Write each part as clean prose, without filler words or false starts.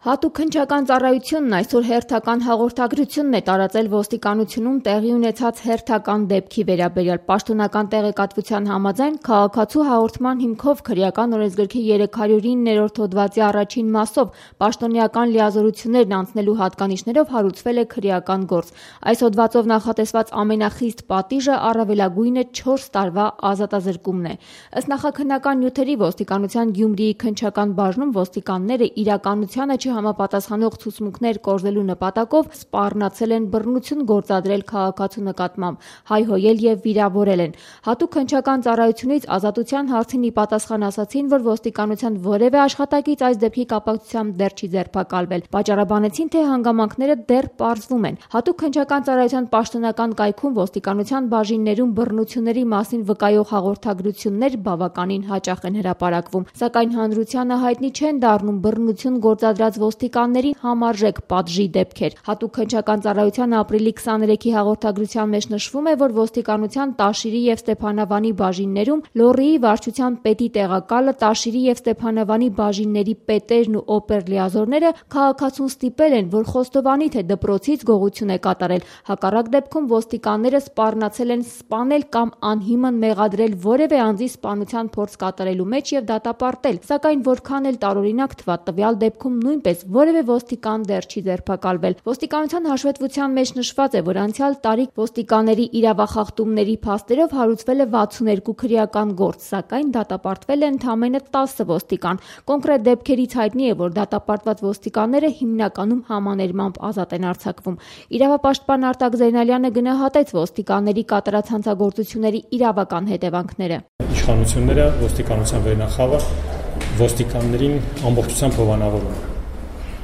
Հատուկ քննչական ծառայությունն այսօր հերթական հաղորդագրությունն է տարածել ոստիկանությունում տեղի ունեցած հերթական դեպքի վերաբերյալ։ Պաշտոնական տեղեկատվության համաձայն քաղաքացու հաղորդման հիմքով քրեական օրենսգրքի 309-րդ հոդվածի առաջին մասով պաշտոնեական լիազորություններն անցնելու հատկանիշներով հարուցվել է քրեական գործ։ Այս հոդվածով նախատեսված ամենախիստ պատիժը առավելագույնը 4 տարվա ազատազրկումն է։ Ըստ նախաքննական նյութերի ոստիկանության Գյումրիի քննչական բաժնում ոստիկանները իրականությանը համապատասխանող ցուցմունքներ կորզելու նպատակով սպառնացել են բռնություն գործադրել քաղաքացու նկատմամբ, հայհոյել եւ վիրավորել են։ Հատուկ քննչական ծառայությունից ազատության հարցին ի պատասխան ասացին, որ ոստիկանության որևէ աշխատակից այս դեպքի կապակցությամբ դեռ չի ձերբակալվել։ Պատճառաբանեցին, թե հանգամանքները դեռ պարզվում են։ Հատուկ քննչական ծառայության պաշտոնական կայքում ոստիկանության բաժիններում բռնությունների մասին վկայող հաղորդագրություններ բավականին հաճախ են հրապարակվում, սակայն հանրությանը հայտնի չեն դառնում բռնություն գործադրած ոստիկաններին համարժեք պատժի դեպքեր։ Հատուկ քննչական ծառայության ապրիլի 23-ի հաղորդագրության մեջ նշվում է, որ ոստիկանության Տաշիրի եւ Ստեփանավանի բաժիններում լոռիի վարչության պետի տեղակալը, Տաշիրի եւ Ստեփանավանի բաժինների պետերն ու օպերլիազորները քաղաքացուն ստիպել են, որ խոստովանի, թե դպրոցից գողություն է կատարել։ Հակառակ դեպքում ոստիկանները սպառնացել են սպանել կամ անհիմն մեղադրել որևէ անձի սպանության փորձ կատարելու մեջ եւ դատապարտել։ Սակայն որքան էլ տարօրինակ թվա, տվյալ դեպքում նույնպես որևէ ոստիկան դեռ չի ձերբակալվել։ Ոստիկանության հաշվետվության մեջ նշված է, որ անցյալ տարի ոստիկանների իրավախախտումների փաստերով հարուցվել է 62 քրեական գործ, սակայն դատապարտվել է ընդամենը 10 ոստիկան։ Կոնկրետ դեպքերից հայտնի է, որ դատապարտված ոստիկանները հիմնականում համաներմամբ ազատ են արձակվում։ Իրավապաշտպան Արտակ Զեյնալյանը գնահատեց ոստիկանների կատարած հանցագործությունների իրավական հետևանքները։ Իշխանությունները ոստիկանության վերնախավը ոստիկաններին ամբողջությամբ հովանավորում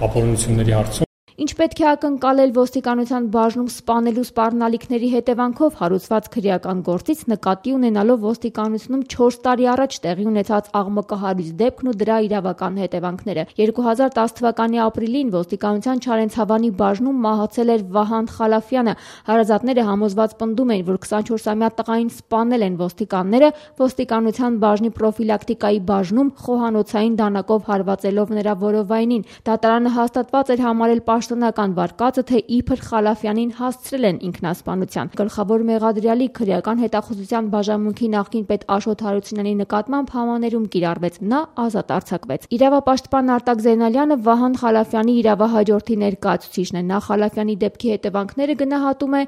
ապօրինությունների հարցում Ինչ պետք է ակնկալել ոստիկանության բաժնում սպանելու սպառնալիքների հետևանքով հարուցված քրեական գործից նկատի ունենալով ոստիկանությունում 4 տարի առաջ տեղի ունեցած աղմկահարույց դեպքն ու դրա իրավական հետևանքները։ 2010 թվականի ապրիլին ոստիկանության Չարենցավանի բաժնում մահացել էր Վահան Խալաֆյանը։ Հարազատները համոզված պնդում են, որ 24-ամյա տղային սպանել են ոստիկանները ոստիկանության բաժնի պրոֆիլակտիկայի բաժնում խոհանոցային դանակով հարվածելով նրա որովայնին։ Դատարանը հաստատված էր համարել պաշտոնական վարկածը, թե իբր Խալաֆյանին հասցրել են ինքնասպանության։ Գլխավոր մեղադրյալի քրեական հետախուզության բաժանմունքի նախկին պետ Աշոտ Հարությունյանի նկատմամբ համաներում կիրառվեց, նա ազատ արձակվեց։ Իրավապաշտպան Արտակ Զեյնալյանը Վահան Խալաֆյանի իրավահաջորդի ներկայացուցիչն է։ Նա Խալաֆյանի դեպքի հետևանքները գնահատում է.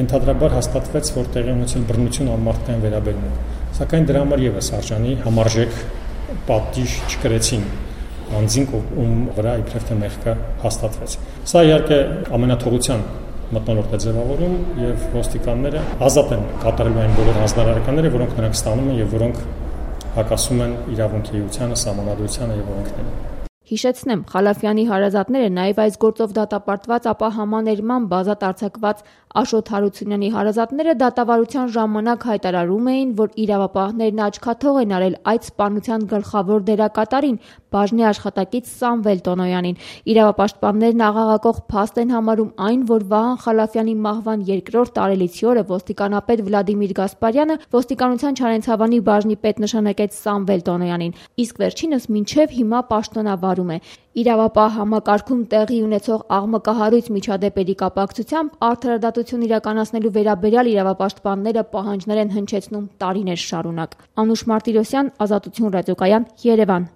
Ենթադրաբար հաստատվեց, որ տեղի ունեցել բռնություն անմարդկային վերաբերում է, սակայն դրա համար եւս արժանի համարժեք պատիժ չկրեցին անձին, ում վրա իբրև թե մեղքը հաստատվեց։ Սա իհարկե ամենաթողության մթնոլորտ է ձևավորում եւ ոստիկանները ազատ են կատարելու այն բոլոր հանձնարարականները, որոնք նրանք ստանում են եւ որոնք հակասում են իրավունքի էությանը, սահմանադրությանը եւ օրենքներին։ Հիշեցնեմ, Խալաֆյանի հարազատները նաև այս գործով դատապարտված, ապա համաներմամբ ազատ արձակված Աշոտ Հարությունյանի հարազատները դատավարության ժամանակ հայտարարում էին, որ իրավապահներն աչքաթող են արել այդ սպանության գլխավոր դերակատարին, բաժնի աշխատակից Սամվել Տոնոյանին։ Իրավապաշտպաններն աղաղակող փաստ են համարում այն, որ Վահան Խալաֆյանի մահվան 2-րդ տարելիցի օրը ոստիկանապետ Վլադիմիր Գասպարյանը ոստիկանության Չարենցավանի բաժնի պետ նշանակեց Սամվել Տոնոյանին, իսկ վերջինս մինչև հիմա պաշտոնավարում է։ Իրավապահ համակարգում տեղի ունեցող աղմկահարույց միջադեպերի կապակցությամբ արդարադատություն իրականացնելու վերաբերյալ իրավապաշտպանները պահանջներ են հնչեցնում տարիներ շարունակ։ Անուշ Մարտիրոսյան, Ազատություն ռադիոկայան, Երևան։